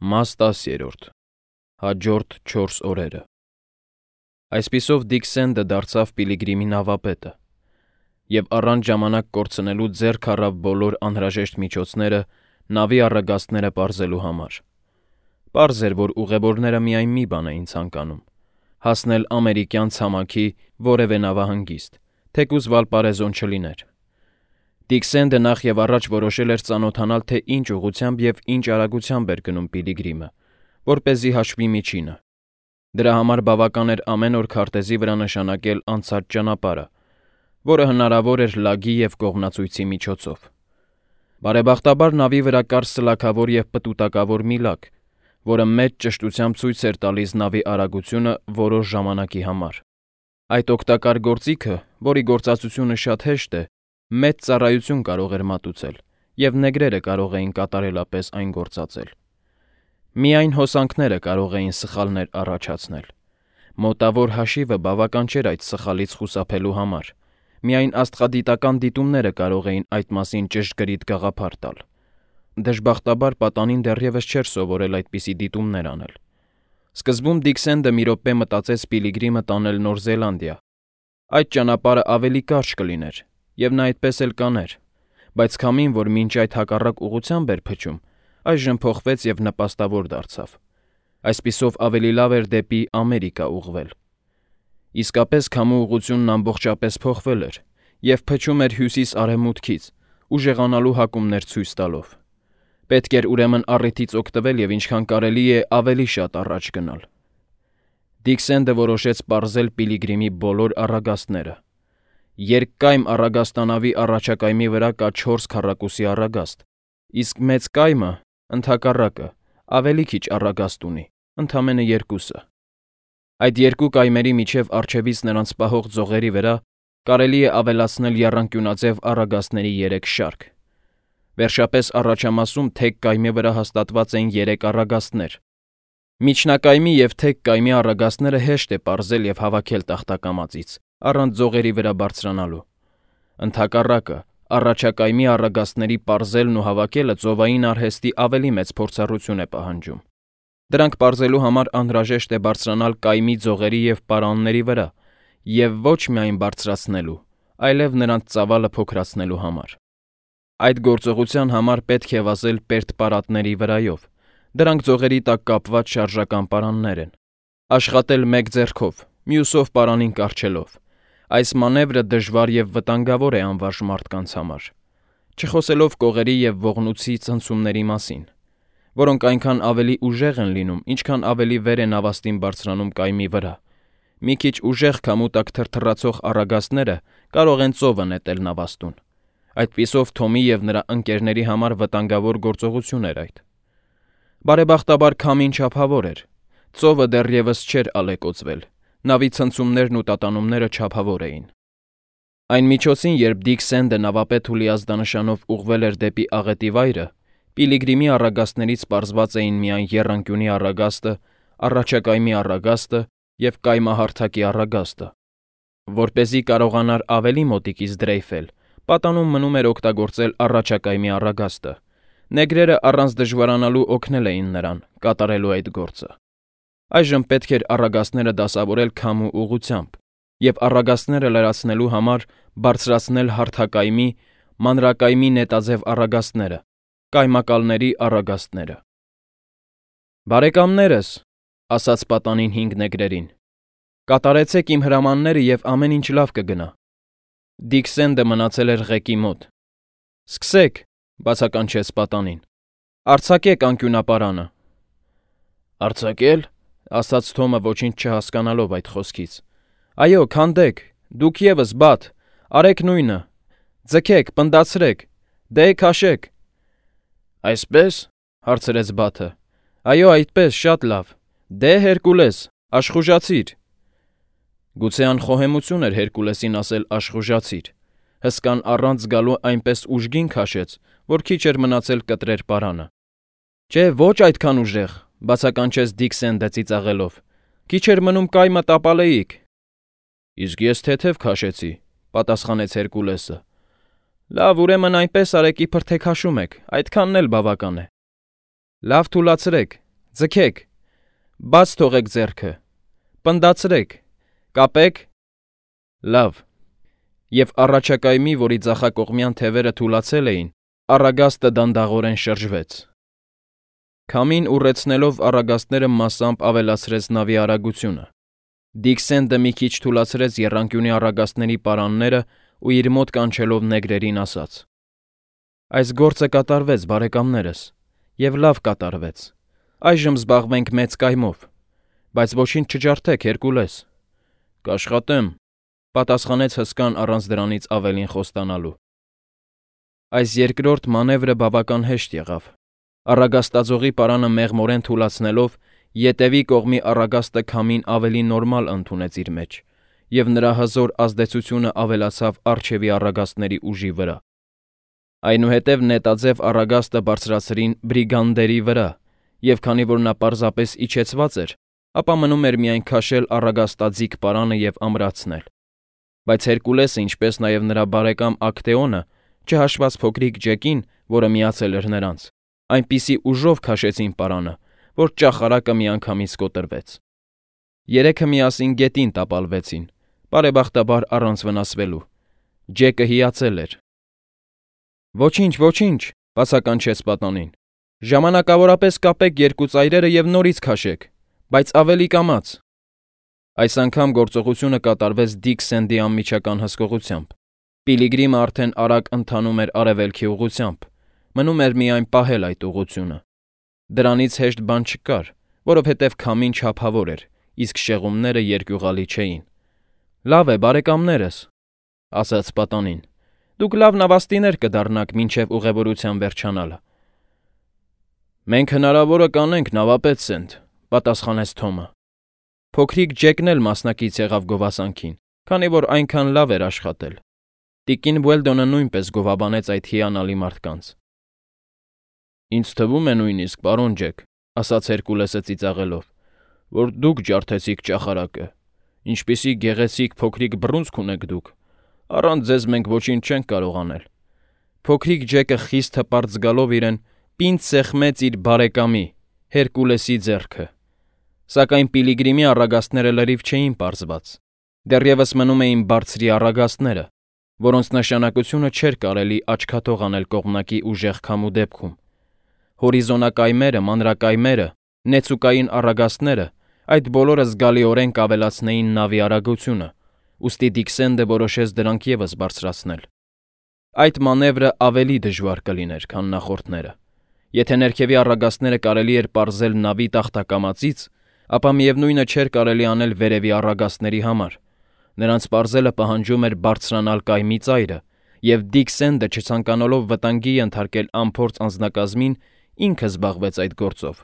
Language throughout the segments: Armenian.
Մաս 10. Հաջորդ 4 օրերը։ Այսպիսով Դիքսենդը դարձավ Պիլիգրիմի նավապետը և առանց ժամանակ կորցնելու ձեռք առավ բոլոր անհրաժեշտ միջոցները նավի առագաստները պարզելու համար։ Պարզ էր, որ ուղևորները միայն մի բան էին ցանկանում՝ հասնել ամերիկյան ցամաքի որևէ նավահանգիստ, թեկուզ Վալպարեզոն չլիներ։ Դիքսենդը նախ և առաջ որոշել էր ծանոթանալ, թե ինչ ուղղությամբ և ինչ արագությամբ էր գնում Պիլիգրիմը, որպեսզի հաշվի միջինը։ Դրա համար բավական էր ամեն օր քարտեզի վրա նշանակել անցած ճանապարհը, որը հնարավոր էր լագի և կողմնացույցի միջոցով։ Բարեբախտաբար նավի վրա կար սլաքավոր և պտուտակավոր մի լակ, որը մեծ ճշտությամբ ցույց էր տալիս նավի արագությունը որոշ ժամանակի համար։ Այդ օգտակար գործիքը, որի գործածությունը շատ հեշտ է, մեծ ծառայություն կարող էր մատուցել, և նեգրերը կարող էին կատարելապես այն գործածել։ Միայն հոսանքները կարող էին սխալներ առաջացնել։ Մոտավոր հաշիվը բավական չէր այդ սխալից խուսափելու համար։ Միայն աստղադիտական դիտումները կարող էին այդ մասին ճշգրիտ գաղափար տալ։ Դժբախտաբար պատանին դեռևս չէր սովորել այդպիսի դիտումներ անել։ Սկզբում Դիքսենդը մի րոպե մտածեց Պիլիգրիմը տանել Նոր Զելանդիա։ Այդ ճանապարհը ավելի կարճ կլիներ, և նա այդպես էլ կաներ, բայց քամին, որ մինչ այդ հակառակ ուղղությամբ էր փչում, այժմ փոխվեց և նպաստավոր դարձավ։ Այսպիսով ավելի լավ էր դեպի Ամերիկա ուղղվել։ Իսկապես քամու ուղղությունն ամբողջապես փոխվել էր և փչում էր հյուսիս-արևմուտքից, ուժեղանալու հակումներ ցույց տալով։ Պետք էր ուրեմն առիթից օգտվել և ինչքան կարելի է ավելի շատ առաջ գնալ։ Դիքսենդը որոշեց պարզել Պիլիգրիմի բոլոր առագաստները։ Երկկայմ առագաստանավի առաջակայմի վրա կա 4 քառակուսի առագաստ, իսկ մեծ կայմը, ընդհակառակը, ավելի քիչ առագաստ ունի, ընդամենը 2-ը։ Այդ երկու կայմերի միջև առջևից նրանց պահող ձողերի վրա կարելի է ավելացնել եռանկյունաձև առագաստների 3 շարք։ Վերջապես առաջամասում թեք կայմի վրա հաստատված էին 3 առագաստներ։ Միջնակայմի և թեք կայմի առագաստները հեշտ է պարզել և հավաքել տախտակամածից, առանց ձողերի վրա բարձրանալու։ Ընդհակառակը, առաջակայմի առագաստների պարզելն ու հավաքելը ծովային արհեստի ավելի մեծ փորձառություն է պահանջում։ Դրանք պարզելու համար անհրաժեշտ է բարձրանալ կայմի ձողերի և պարանների վրա, և ոչ միայն բարձրացնելու, այլև նրանց ծավալը փոքրացնելու համար։ Այդ գործողության համար պետք է վազել պերտպարատների վրայով։ Դրանք ձողերի տակ կապված շարժական պարաններ են։ Աշխատել մեկ ձեռքով, մյուսով պարանին կառչելով։ Այս մանևրը դժվար և վտանգավոր է անվարժ մարդկանց համար, չխոսելով կողերի և ողնույցի ցնցումների մասին, որոնք այնքան ավելի ուժեղ են լինում, ինչքան ավելի վեր է նավաստին բարձրանում կայմի վրա։ Մի քիչ ուժեղ քամու տակ թրթռացող առագաստները կարող են ծովը նետել նավաստուն։ Այդպիսով Թոմի և նրա ընկերների համար վտանգավոր գործողություն էր այդ։ Բարեբախտաբար քամին չափավոր էր։ Ծովը դեռևս չէր ալեկոծվել։ Նավի ցնցումներն ու տատանումները չափավոր էին։ Այն միջոցին, երբ Դիքսենդը նավապետ Հուլի ազդանշանով ուղղվել էր դեպի աղետի վայրը, Պիլիգրիմի առագաստներից պարզված էին միայն եռանկյունի առագաստը, առաջակայմի առագաստը և կայմահարթակի առագաստը։ Որպեսզի կարողանար ավելի մոտիկից դրեյֆել, պատանում մնում էր օգտագործել առաջակայմի առագաստը։ Նեգրերը առանց դժվարանալու օգնել էին նրան կատարելու այդ գործը։ Այժմ պետք էր առագաստները դասավորել քամու ուղղությամբ և առագաստները լրացնելու համար բարձրացնել հարթակայմի, մանրակայմի նետաձև առագաստները, կայմակալների առագաստները։ «Բարեկամներս», ասաց պատանին 5 նեգրերին, «կատարեցեք իմ հրամանները, և ամեն ինչ լավ կգնա»։ Դիքսենդը մնացել էր ղեկի մոտ։ «Սկսեք», բացականչեց պատանին, «արձակեք անկյունապարանը»։ «Արձակե՞լ», ասաց Թոմը ոչինչ չհասկանալով այդ խոսքից։ «Այո, քանդեք, դուք ևս, Բաթ, արեք նույնը, ձգեք, պնդացրեք, դե քաշեք»։ «Այսպե՞ս», հարցրեց Բաթը։ «Այո, այդպես, շատ լավ, դե Հերկուլես, աշխուժացիր»։ Գուցե անխոհեմություն էր Հերկուլեսին ասել աշխուժացիր։ Հսկան առանց զգալու այնպես ուժգին քաշեց, որ քիչ էր մնացել կտրեր պարանը։ «Չէ, ոչ այդքան ուժեղ», բացականչեց Դիքսենդը ծիծաղելով։ «Քիչ էր մնում կայմը տապալեիք»։ «Իսկ ես թեթև քաշեցի», պատասխանեց Հերկուլեսը։ «Լավ, ուրեմն այնպես արեք, իբր թե քաշում եք, այդքանն էլ բավական է»։ «Լավ, թուլացրեք, Ձգեք, բաց թողեք ձեռքը, պնդացրեք, կապեք, լավ, և առաջակայմի, որի ձախակողմյան թևերը թուլացել էին, առագաստը դանդաղորեն շրջվեց։ Քամին ուռեցնելով առագաստները մասամբ ավելացրեց նավի արագությունը։ Դիքսենդը մի քիչ թուլացրեց եռանկյունի առագաստների պարանները ու իր մոտ կանչելով նեգրերին ասաց. «Այս գործը կատարվեց, բարեկամներս, և լավ կատարվեց։ Այժմ զբաղվենք մեծ կայմով, բայց ոչինչ չջարդեք, Հերկուլես»։ «Կաշխատեմ», պատասխանեց հսկան առանց դրանից ավելին խոստանալու։ Այս երկրորդ մանևրը բավական հեշտ եղավ։ Առագաստաձողի պարանը մեղմորեն թուլացնելով, ետևի կողմի առագաստը քամին ավելի նորմալ ընդունեց իր մեջ, և նրա հզոր ազդեցությունը ավելացավ առջևի առագաստների ուժի վրա։ Այնուհետև նետաձև առագաստը բարձրացրին բրիգանդերի վրա, և քանի որ նա պարզապես իջեցված էր, ապա մնում էր միայն քաշել առագաստաձիգ պարանը և ամրացնել։ Բայց Հերկուլեսը, ինչպես նաև նրա բարեկամ Ակտեոնը, չհաշված փոքրիկ Ջեկին, որը միացել էր նրանց, այնպիսի ուժով քաշեցին պարանը, որ ճախարակը միանգամից կոտրվեց։ Երեքը միասին գետին տապալվեցին, բարեբախտաբար առանց վնասվելու։ Ջեկը հիացել էր։ «Ոչինչ, ոչինչ», բացականչեց պատանին։ «Ժամանակավորապես կապեք երկու ծայրերը և նորից քաշեք, բայց ավելի կամաց»։ Այս անգամ գործողությունը կատարվեց Դիքսենդի անմիջական հսկողությամբ։ Պիլիգրիմը արդեն արագ ընթանում էր արևելքի ուղղությամբ, մնում էր միայն պահել այդ ուղղությունը։ Դրանից հեշտ բան չկար, որովհետև քամին չափավոր էր, իսկ շեղումները երկյուղալի չէին։ «Լավ է, բարեկամներս», ասաց պատանին։ «Դուք լավ նավաստիներ կդառնաք մինչև ուղևորության վերջանալը»։ «Մենք հնարավորը կանենք, նավապետ Սենթ», պատասխանեց Թոմը։ Փոքրիկ Ջեկն էլ մասնակից եղավ գովասանքին, քանի որ այնքան լավ էր աշխատել։ Տիկին Ուելդոնը նույնպես գովաբանեց այդ հիանալի մարդկանց։ «Ինձ թվում է նույնիսկ, պարոն Ջեք», ասաց Հերկուլեսը ծիծաղելով, «որ դուք ջարդեցիք ճախարակը։ Ինչպիսի գեղեցիկ փոքրիկ բռունցք ունեք դուք։ Առանց ձեզ մենք ոչինչ չենք կարող անել»։ Փոքրիկ Ջեկը խիստ հպարտ զգալով իրեն պինդ սեղմեց իր բարեկամի՝ Հերկուլեսի ձեռքը։ Սակայն Պիլիգրիմի առագաստները լրիվ չէին պարզված։ Դեռևս մնում էին բարձրի առագաստները, որոնց նշանակությունը չէր կարելի աչքաթող անել կողմնակի ուժեղ քամու դեպքում։ Հորիզոնակայմերը, մանրակայմերը, նեցուկային առագաստները, այդ բոլորը զգալիորեն կավելացնեին նավի արագությունը, ուստի Դիքսենդը որոշեց դրանք ևս բարձրացնել։ Այդ մանևրը ավելի դժվար կլիներ, քան նախորդները։ Եթե ներքևի առագաստները կարելի էր պարզել նավի տախտակամածից, ապա միևնույնը չէր կարելի անել վերևի առագաստների համար։ Նրանց պարզելը պահանջում էր բարձրանալ կայմի ծայրը, և Դիքսենդը, չցանկանալով վտանգի ենթարկել անփորձ անձնակազմին, ինքը զբաղվեց այդ գործով։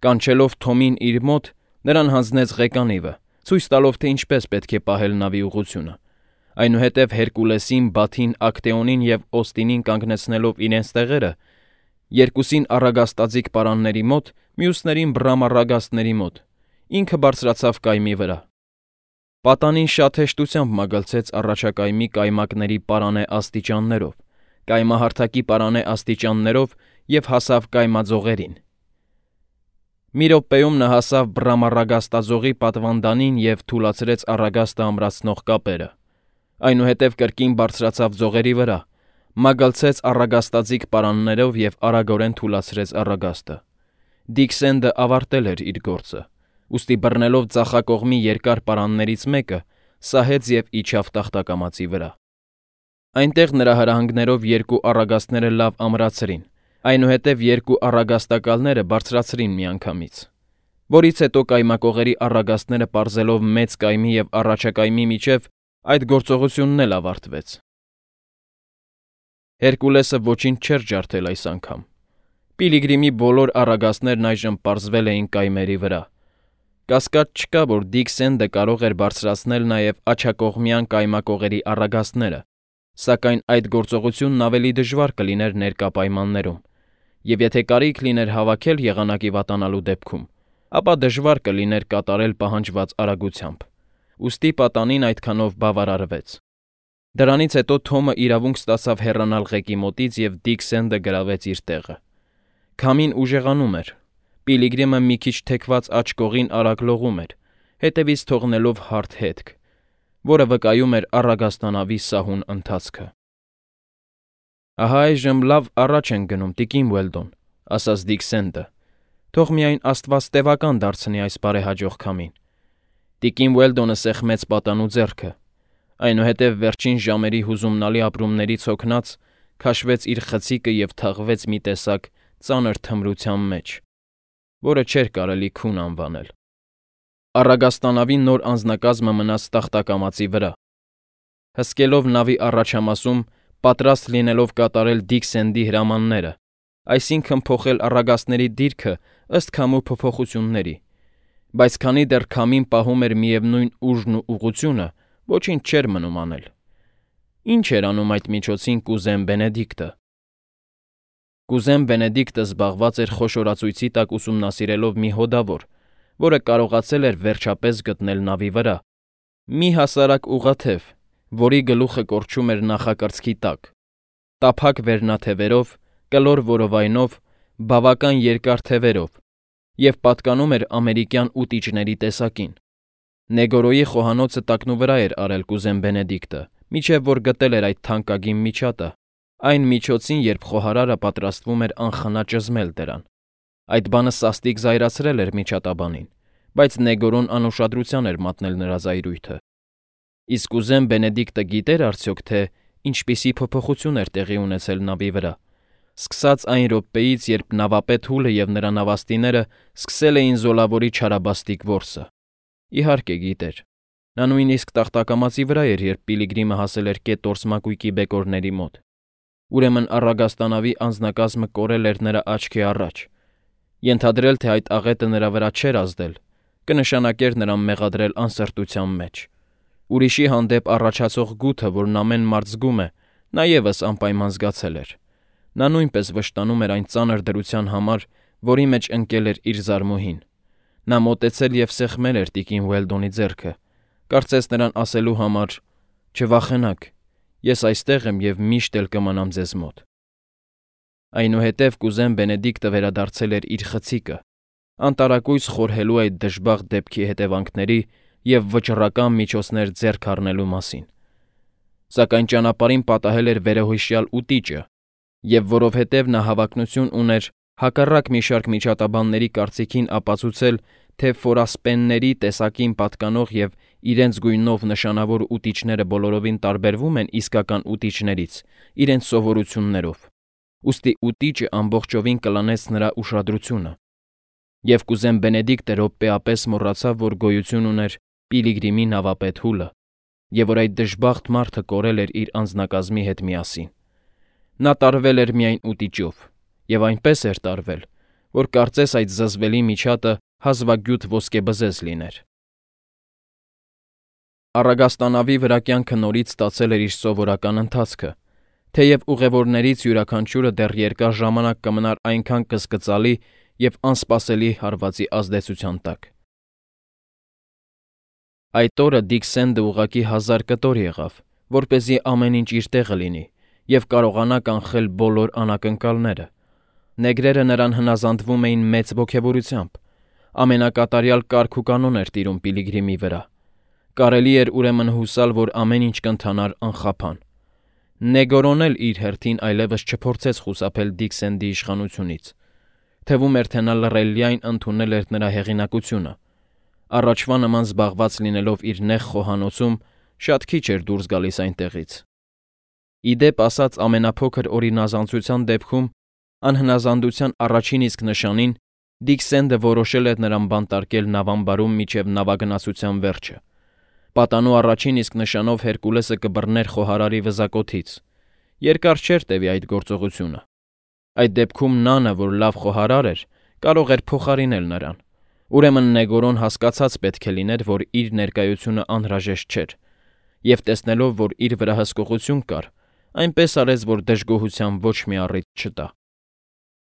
Կանչելով Թոմին իր մոտ, նրան հանձնեց ղեկանիվը, ցույց տալով, թե ինչպես պետք է պահել նավի ուղղությունը։ Այնուհետև Հերկուլեսին, Բաթին, Ակտեոնին և Օստինին կանգնեցնելով իրենց տեղերը, երկուսին առագաստաձիգ պարանների մոտ, մյուսներին բռամառագաստների մոտ, ինքը բարձրացավ կայմի վրա։ Պատանին շատ հեշտությամբ մագլցեց առաջակայմի կայմակների պարանե աստիճաններով, կայմահարթակի պարանե աստիճաններով և հասավ կայմաձողերին։ Մի րոպեում նա հասավ բռամառագաստաձողի պատվանդանին և թուլացրեց առագաստը ամրացնող կապերը։ Այնուհետև կրկին բարձրացավ ձողերի վրա, մագլցեց առագաստաձիգ պարաններով և արագորեն թուլացրեց առագաստը։ Դիքսենդը ավարտել էր իր գործը, ուստի բռնելով ձախակողմի երկար պարաններից մեկը, սահեց և իջավ տախտակամածի վրա։ Այնտեղ նրա հրահանգներով երկու առագաստները լավ ամրացրին, այնուհետև երկու առագաստակալները բարձրացրին միանգամից, որից հետո կայմակողերի առագաստները պարզելով մեծ կայմի և առաջակայմի միջև, այդ գործողությունն էլ ավարտվեց։ Հերկուլեսը ոչինչ չէր ջարդել այս անգամ։ Պիլիգրիմի բոլոր առագաստներն այժմ պարզվել էին կայմերի վրա։ Կասկած չկա, որ Դիքսենդը կարող էր բարձրացնել նաև աջակողմյան կայմակողերի առագաստները, սակայն այդ գործողությունն ավելի դժվար կլիներ ներկա պայմաններում, և եթե կարիք լիներ հավաքել եղանակի վատանալու դեպքում, ապա դժվար կլիներ կատարել պահանջված արագությամբ։ Ուստի պատանին այդքանով բավարարվեց։ Դրանից հետո Թոմը իրավունք ստացավ հեռանալ ղեկի մոտից և Դիքսենդը գրավեց իր տեղը։ Քամին ուժեղանում էր, Պիլիգրիմը մի քիչ թեքված աջ կողին արագ լողում էր, հետևից թողնելով հարթ հետք, որը վկայում էր առագաստանավի սահուն ընթացքը։ «Ահա այժմ լավ առաջ ենք գնում, տիկին Ուելդոն», ասաց Դիքսենտը։ «Թող միայն Աստված տևական դարձնի այս բարեհաջող քամին»։ Տիկին Ուելդոնը սեղմեց պատանու ձեռքը, այնուհետև վերջին ժամերի հուզումնալի ապրումներից հոգնած քաշվեց իր խցիկը և թաղվեց մի տեսակ ծանր թմրության մեջ, որը չէր կարելի քուն անվանել։ Առագաստանավի նոր անձնակազմը մնաց տախտակամածի վրա։ Հսկելով նավի առաջամասում, պատրաստ լինելով կատարել Դիքսենդի հրամանները, այսինքն փոխել առագաստների դիրքը ըստ քամու փոփոխությունների, բայց քանի դեռ քամին պահում էր միևնույն ուժն ու ուղղությունը, ոչինչ չէր մնում անել։ Ինչ էր անում այդ միջոցին կուզեն Բենեդիկտը։ Կուզեն Բենեդիկտը զբաղված էր խոշորացույցի տակ ուսումնասիրելով մի հոդավոր, որը կարողացել էր վերջապես գտնել նավի վրա, մի հասարակ ուղղաթև, որի գլուխը կորչում էր նախակրծքի տակ, տափակ վերնաթևերով, կլոր որովայնով, բավական երկար թևերով և պատկանում էր ամերիկյան ուտիճների տեսակին։ Նեգորոյի խոհանոցը տակնուվրա էր արել կուզեն Բենեդիկտը, մինչև որ գտել էր այդ թանկագին միջատը, այն միջոցին, երբ խոհարարը պատրաստվում էր անխնա ճզմել դրան։ Այդ բանը սաստիկ զայրացրել էր միջատաբանին, բայց Նեգորոն անուշադրության էր մատնել նրա զայրույթը։ Իսկ կուզեն Բենեդիկտը գիտեր արդյոք, թե ինչպիսի փոփոխություն էր տեղի ունեցել նավի վրա, սկսած այն րոպեից, երբ նավապետ Հուլը և նրա նավաստիները սկսել էին զոլավորի չարաբաստիկ որսը։ Իհարկե գիտեր։ Նա նույնիսկ տախտակամածի վրա էր, երբ Պիլիգրիմը հասել էր կետորս մակույկի բեկորների մոտ։ Ուրեմն առագաստանավի անձնակազմը կորել էր նրա աչքի առաջ։ Ենթադրել, թե այդ աղետը նրա վրա չէր ազդել, կնշանակեր նրան մեղադրել անսրտության մեջ։ Ուրիշի հանդեպ առաջացող գութը, որն ամեն մարդ զգում է, նա ևս անպայման զգացել էր։ Նա նույնպես վշտանում էր այն ծանր դրության համար, որի մեջ ընկել էր իր զարմուհին։ Նա մոտեցել և սեղմել էր տիկին Ուելդոնի ձեռքը, կարծես նրան ասելու համար. «Չվախենաք, ես այստեղ եմ և միշտ էլ կմնամ ձեզ մոտ»։ Այնուհետև կուզեն Բենեդիկտը վերադարձել էր իր խցիկը, անտարակույս խորհելու այդ դժբախտ դեպքի հետևանքների և վճռական միջոցներ ձեռք առնելու մասին։ Սակայն ճանապարհին պատահել էր վերոհիշյալ ուտիճը, և որովհետև նա հավակնություն ուներ հակառակ մի շարք միջատաբանների կարծիքին ապացուցել, թե ֆորասպենների տեսակին պատկանող և իրենց գույնով նշանավոր ուտիչները բոլորովին տարբերվում են իսկական ուտիչներից իրենց սովորություններով, ուստի ուտիճը ամբողջովին կլանեց նրա ուշադրությունը, և կուզեն Բենեդիկտը րոպեապես մոռացավ, որ գոյություն ուներ Պիլիգրիմի նավապետ Հուլը, և որ այդ դժբախտ մարդը կորել էր իր անձնակազմի հետ միասին։ Նա տարվել էր միայն ուտիճով, և այնպես էր տարվել, որ կարծես այդ զզվելի միջատը հազվագյուտ ոսկեբզեզ լիներ։ Առագաստանավի վրա կյանքը նորից ստացել էր իր սովորական ընթացքը, թեև ուղևորներից յուրաքանչյուրը դեռ երկար ժամանակ կմնար այնքան կսկծալի և անսպասելի հարվածի ազդեցության տակ։ Այդ օրը Դիքսենդը ուղղակի 1000 կտոր եղավ, որպեսզի ամեն ինչ իր տեղը լինի և կարողանա կանխել բոլոր անակնկալները։ Նեգրերը նրան հնազանդվում էին մեծ ոգևորությամբ, ամենակատարյալ կարգ ու կանոն էր տիրում Պիլիգրիմի վրա։ Կարելի էր ուրեմն հուսալ, որ ամեն ինչ կընթանար անխափան։ Նեգորոն էլ իր հերթին այլևս չփորձեց խուսափել Դիքսենդի իշխանությունից։ Թվում էր, թե նա լռելիայն ընդունել էր նրա հեղինակությունը։ Առաջվա նման զբաղված լինելով իր նեղ խոհանոցում, շատ քիչ էր դուրս գալիս այնտեղից։ Ի դեպ ասած, ամենափոքր օրինազանցության դեպքում անհնազանդության առաջին իսկ նշանին Դիքսենդը որոշել էր նրան բանտարկել նավամբարում մինչև նավագնացության վերջը։ Պատանու առաջին իսկ նշանով Հերկուլեսը կբռներ խոհարարի վզակոթից։ Երկար չէր տևի այդ գործողությունը։ Այդ դեպքում Նանը, որ լավ խոհարար էր, կարող էր փոխարինել նրան։ Ուրեմն Նեգորոն հասկացած պետք է լիներ, որ իր ներկայությունը անհրաժեշտ չէր, և տեսնելով, որ իր վրա հսկողություն կար, այնպես արեց, որ դժգոհության ոչ մի առիթ չտա։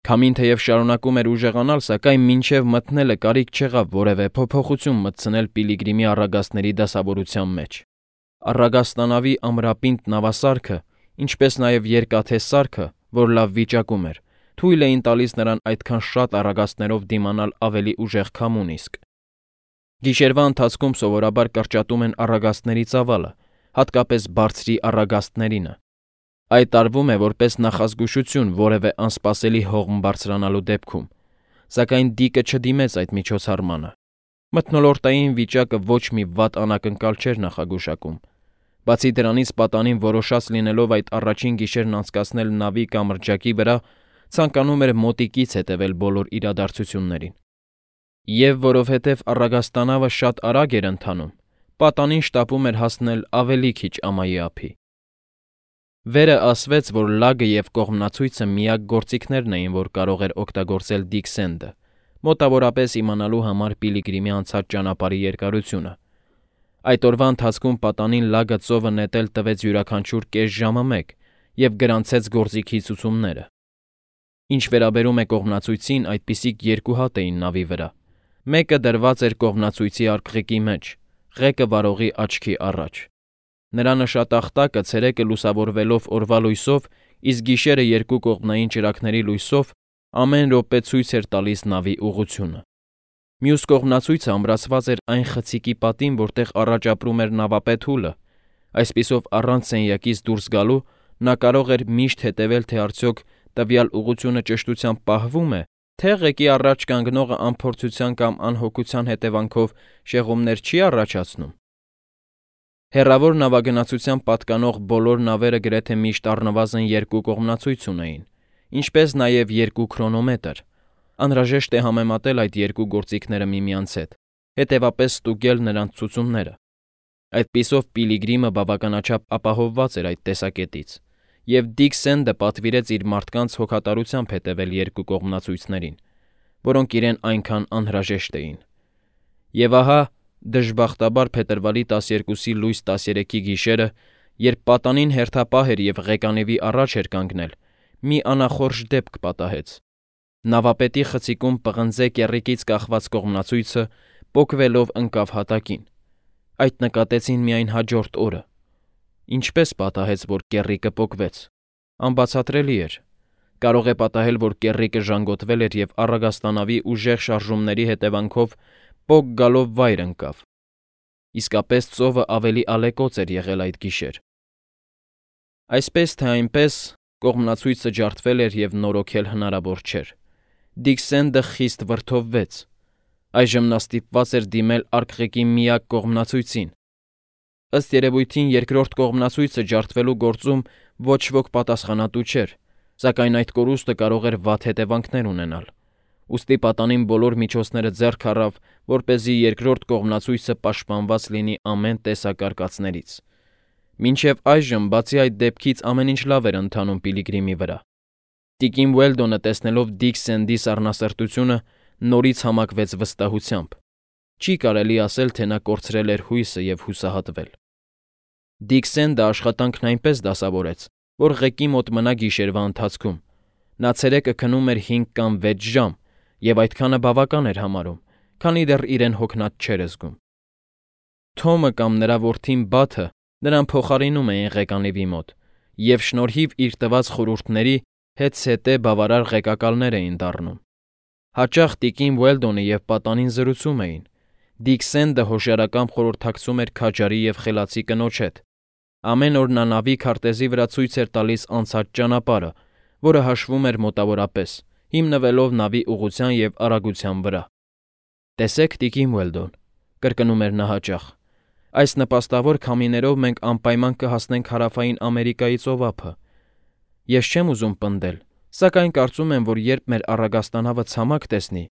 Քամին թեև շարունակում էր ուժեղանալ, սակայն մինչև մտնելը կարիք չեղավ որևէ փոփոխություն մտցնել Պիլիգրիմի առագաստների դասավորության մեջ։ Առագաստանավի ամրապինդ նավասարքը, ինչպես նաև երկաթե սարքը, որ լավ վիճակում էր, թույլ էին տալիս նրան այդքան շատ առագաստներով դիմանալ ավելի ուժեղ քամուն իսկ։ Գիշերվա ընթացքում սովորաբար կրճատում են առագաստների ծավալը, հատկապես բարձրի առագաստներինը։ Այդ տարվում է որպես նախազգուշություն որևէ անսպասելի հողմ բարձրանալու դեպքում, սակայն Դիկը չդիմեց այդ միջոցառմանը։ Մթնոլորտային վիճակը ոչ մի վատ անակնկալ չէր նախագուշակում։ Բացի դրանից պատանին որոշած լինելով այդ առաջին գիշերն անցկացնել նավի կամ մրջակի վրա, ցանկանում էր մոտիկից հետևել բոլոր իրադարձություններին։ Եվ որովհետև առագաստանավը շատ արագ էր ընթանում, պատանին շտապում էր հասնել ավելի քիչ ամայի ափի։ Վերը ասվեց, որ լագը և կողմնացույցը միակ գործիքներն էին, որ կարող էր օգտագործել Դիկ Սենդը, մոտավորապես իմանալու համար Պիլիգրիմի անցած ճանապարհի երկարությունը։ Այդ օրվա ընթացքում պատանին լագը ծովը նետել տվեց յուրաքանչյուր կես ժամը մեկ և գրանցեց գործիքի ցուցումները։ Ինչ վերաբերում է կողմնացույցին, այդպիսիք երկու հատ էին նավի վրա։ Մեկը դրված էր կողմնացույցի արկղիկի մեջ, ղեկը վարողի աչքի առաջ։ Նրա նշատախտակը ցերեկը լուսավորվելով օրվա լույսով, իսկ գիշերը երկու կողմնային ճրագների լույսով ամեն րոպե ցույց էր տալիս նավի ուղղությունը։ Մյուս կողմնացույցը ամրացված էր այն խցիկի պատին, որտեղ առաջ ապրում էր նավապետ Հուլը։ Այսպիսով առանց սենյակից դուրս գալու նա կարող էր միշտ հետևել, թե արդյոք տվյալ ուղղությունը ճշտությամբ պահվում է, թե ղեկի առաջ կանգնողը անփորձության կամ անհոգության հետևանքով շեղումներ չի առաջացնում։ Հեռավոր նավագնացության պատկանող բոլոր նավերը գրեթե միշտ առնվազն երկու կողմնացույց ունեին, ինչպես նաև երկու քրոնոմետր։ Անհրաժեշտ է համեմատել այդ երկու գործիքները միմյանց հետ, հետևապես ստուգել նրանց ցուցումները։ Այդպիսով Պիլիգրիմը բավականաչափ ապահովված էր այդ տեսակետից, և Դիկ Սենդը պատվիրեց իր մարդկանց հոգատարությամբ հետևել երկու կողմնացույցներին, որոնք իրեն այնքան անհրաժեշտ էին։ Եվ ահա, դժբախտաբար փետրվարի 12-ի լույս 13-ի գիշերը, երբ պատանին հերթապահ էր և ղեկանևի առաջ էր կանգնել, մի անախորժ դեպք պատահեց։ Նավապետի խցիկում պղնձե կեռիկից կախված կողմնացույցը պոկվելով ընկավ հատակին։ Այդ նկատեցին միայն հաջորդ օրը։ Ինչպես պատահեց, որ կեռիկը պոկվեց։ Անբացատրելի էր։ Կարող է պատահել, որ կեռիկը ժանգոտվել էր և առագաստանավի ուժեղ շարժումների հետևանքով պոկ գալով վայր ընկավ։ Իսկապես ծովը ավելի ալեկոծ էր եղել այդ գիշեր։ Այսպես թե այնպես, կողմնացույցը ջարդվել էր և նորոգել հնարավոր չէր։ Դիկ Սենդը խիստ վրդովվեց։ Այժմ նա ստիպված էր դիմել արկղիկի միակ կողմնացույցին։ Ըստ երևույթին երկրորդ կողմնացույցը ջարդվելու գործում ոչ ոք պատասխանատու չէր, սակայն այդ կորուստը կարող էր վատ հետևանքներ ունենալ։ Ուստի պատանին բոլոր միջոցները ձեռք առավ, որպեսզի երկրորդ կողմնացույցը պաշտպանված լինի ամեն տեսակ արկածներից։ Մինչև այժմ, բացի այդ դեպքից, ամեն ինչ լավ էր ընթանում Պիլիգրիմի վրա։ Տիկին Ուելդոնը, տեսնելով Դիկ Սենդի սառնասրտությունը, նորից համակվեց վստահությամբ։ Չի կարելի ասել, թե նա կորցրել էր հույսը և հուսահատվել։ Դիկ Սենդը աշխատանքն այնպես դասավորեց, որ ղեկի մոտ մնա գիշերվա ընթացքում։ Նա ցերեկը քնում էր 5 կամ 6 ժամ, և այդքանը բավական էր համարում, քանի դեռ իրեն հոգնած չէր զգում։ Թոմը կամ նրա որդին Բաթը նրան փոխարինում էին ղեկանևի մոտ, և շնորհիվ իր տված խորհուրդների հետզհետե բավարար ղեկակալներ էին դառնում։ Հաճախ տիկին Ուելդոնը և պատանին զրուցում էին։ Դիկ Սենդը հոշյարական խորհրդակցում էր քաջարի և խելացի կնոջ հետ։ Ամեն օր նա նավի քարտեզի վրա ցույց էր տալիս անցած ճանապարհը, որը հաշվում էր մոտավորապես, հիմնվելով նավի ուղղության և արագության վրա։ «Տեսեք, տիկին Ուելդոն», կրկնում էր նա հաճախ, «այս նպաստավոր քամիներով մենք անպայման կհասնենք Հարավային Ամերիկայի ծովափը։ Ես չեմ ուզում պնդել, սակայն կարծում եմ, որ երբ մեր առագաստանավը ցամաք տեսնի,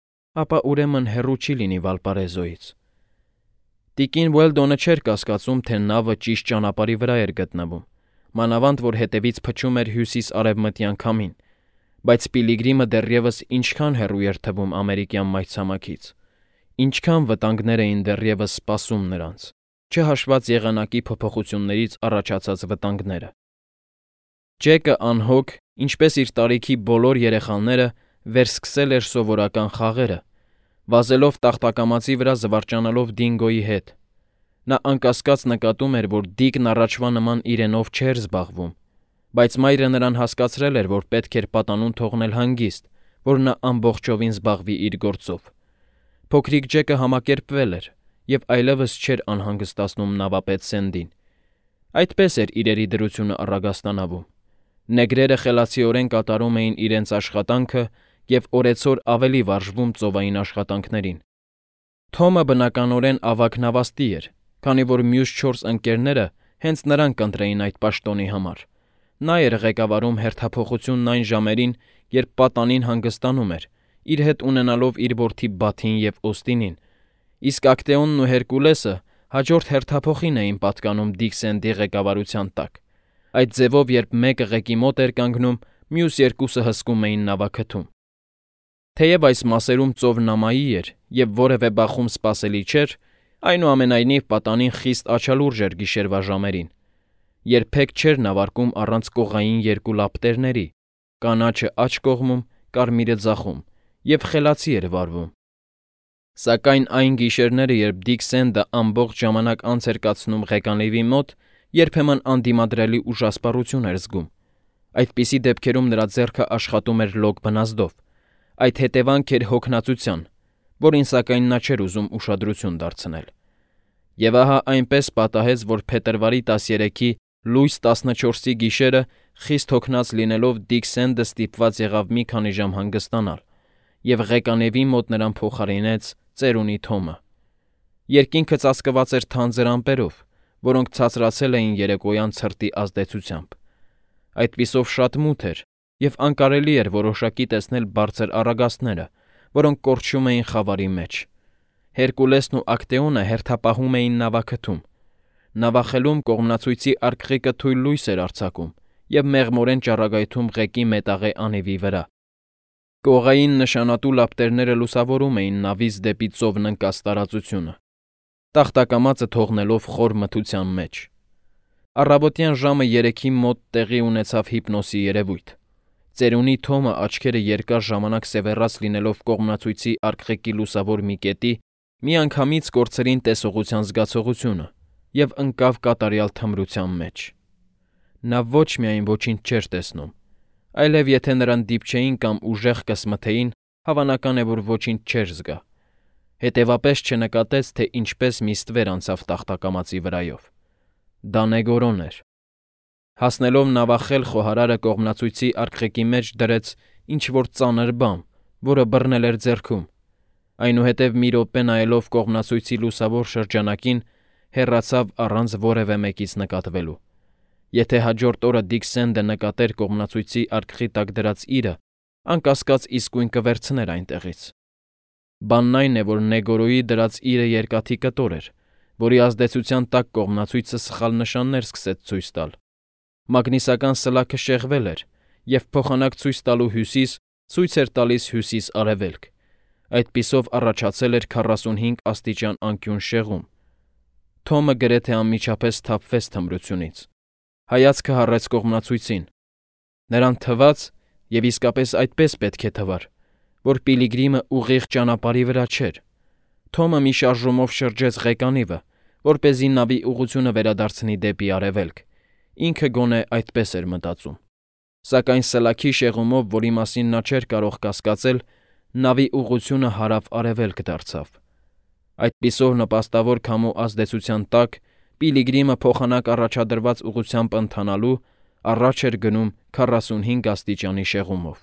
ապա ուրեմն հեռու չի լինի Վալպարեզոյից»։ Տիկին Ուելդոնը չէր կասկածում, թե նավը ճիշտ ճանապարհի վրա էր գտնվում, մանավանդ որ հետևից փչում էր հյուսիս-արևմտյան քամին, բայց Պիլիգրիմը դեռևս ինչքան հեռու էր թվում ամերիկյան մայրցամաքից, ինչքան վտանգներ էին դեռևս սպասում նրանց, չհաշված եղանակի փոփոխություններից առաջացած վտանգները։ Ջեկը անհոգ, ինչպես իր տարիքի բոլոր երեխաները, վերսկսել էր սովորական խաղերը, վազելով տախտակամածի վրա զվարճանալով Դինգոյի հետ։ Նա անկասկած նկատում էր, որ Դիկն առաջվա նման իրենով չէր զբաղվում, Բայց մայրը նրան հասկացրել էր, որ պետք էր պատանուն թողնել հանգիստ, որ նա ամբողջովին զբաղվի իր գործով։ Փոքրիկ Ջեկը համակերպվել էր և այլևս չէր անհանգստացնում նավապետ Սենդին։ Այդպես էր իրերի դրությունը առագաստանավում։ Նեգրերը խելացիորեն կատարում էին իրենց աշխատանքը և օրեցօր ավելի վարժվում ծովային աշխատանքներին։ Թոմը բնականորեն ավագ նավաստի էր, քանի որ մյուս 4 ընկերները հենց նրան կընտրեին այդ պաշտոնի համար։ Նա էր ղեկավարում հերթափոխությունն այն ժամերին, երբ պատանին հանգստանում էր, իր հետ ունենալով իր որդի Բաթին և Օստինին, իսկ Ակտեոնն ու Հերկուլեսը հաջորդ հերթափոխին էին պատկանում Դիք Սենդի ղեկավարության տակ։ Այդ ձևով, երբ մեկը ղեկի մոտ էր կանգնում, մյուս երկուսը հսկում էին նավաքթում։ Թեև այս մասերում ծովն ամայի էր և որևէ բախում սպասելի չէր, այնուամենայնիվ պատանին խիստ աչալուրջ էր գիշերվա ժամերին։ Երբեք չէր նավարկում առանց կողային 2 լապտերների, կանաչը աջ կողմում, կարմիրը ձախում, և խելացի էր վարվում։ Սակայն այն գիշերները, երբ Դիք Սենդը ամբողջ ժամանակ անց էր կացնում ղեկանլիվի մոտ, երբեմն անդիմադրելի ուժասպառություն էր զգում։ Այդպիսի դեպքերում նրա ձեռքը աշխատում էր լոկ բնազդով։ Այդ հետևանք էր հոգնածության, որին սակայն նա չէր ուզում ուշադրություն դարձնել։ Եվ ահա այնպես պատահեց, որ փետրվարի 13-ի լույս 14-ի գիշերը, խիստ հոգնած լինելով, Դիք Սենդը ստիպված եղավ մի քանի ժամ հանգստանալ, և ղեկանևի մոտ նրան փոխարինեց ծերունի Թոմը։ Երկինքը ծածկված էր թանձր ամպերով, որոնք ցածրացել էին երեկոյան ցրտի ազդեցությամբ։ Այդպիսով շատ մութ էր, և անկարելի էր որոշակի տեսնել բարձր առագաստները, որոնք կորչում էին խավարի մեջ։ Հերկուլեսն ու Ակտեոնը հերթապահում էին նավաքթում։ Նավախելում կողմնացույցի արկղիկը թույլ լույս էր արձակում և մեղմորեն ճառագայթում ղեկի մետաղե անիվի վրա։ Կողային նշանատու լապտերները լուսավորում էին նավից դեպի ծովն ընկած տարածությունը, տախտակամածը թողնելով խոր մթության մեջ։ Առավոտյան ժամը 3-ի մոտ տեղի ունեցավ հիպնոսի երևույթ։ Ծերունի Թոմը աչքերը երկար ժամանակ սևեռած լինելով կողմնացույցի արկղիկի լուսավոր մի կետի, միանգամից կորցրին տեսողության զգացողությունը և ընկավ կատարյալ թմրության մեջ։ Նա ոչ միայն ոչինչ չէր տեսնում, այլև եթե նրան դիպչեին կամ ուժեղ կսմթեին, հավանական է, որ ոչինչ չէր զգա։ Հետևապես չնկատեց, թե ինչպես մի ստվեր անցավ տախտակամածի վրայով։ Դա Նեգորոն էր։ Հասնելով նավախել, խոհարարը կողմնացույցի արկղիկի մեջ դրեց ինչ-որ ծանր բան, որը բռնել էր ձեռքում։ Այնուհետև մի րոպե նայելով կողմնացույցի լուսավոր շրջանակին, հեռացավ առանց որևէ մեկից նկատվելու։ Եթե հաջորդ օրը Դիք Սենդը նկատեր կողմնացույցի արկղի տակ դրած իրը, անկասկած իսկույն կվերցներ այնտեղից։ Բանն այն է, որ Նեգորոյի դրած իրը երկաթի կտոր էր, որի ազդեցության տակ կողմնացույցը սխալ նշաններ սկսեց ցույց տալ։ Մագնիսական սլաքը շեղվել էր, և փոխանակ ցույց տալու հյուսիս ցույց էր տալիս հյուսիս֊արևելք։ Այդպիսով առաջացել էր 45 աստիճան անկյուն շեղում։ Թոմը գրեթե անմիջապես սթափվեց թմրությունից։ Հայացքը հառեց կողմնացույցին։ Նրան թվաց, և իսկապես այդպես պետք է թվար, որ Պիլիգրիմը ուղիղ ճանապարհի վրա չէր։ Թոմը մի շարժումով շրջեց ղեկանիվը, որպեսզի նավի ուղղությունը վերադարձնի դեպի արևելք։ Ինքը գոնե այդպես էր մտածում։ Սակայն սլաքի շեղումով, որի մասին նա չէր կարող կասկածել, նավի ուղղությունը հարավ-արևելք դարձավ։ Այդպիսով նպաստավոր քամու ազդեցության տակ Պիլիգրիմը փոխանակ առաջադրված ուղղությամբ ընթանալու առաջ էր գնում 45 աստիճանի շեղումով։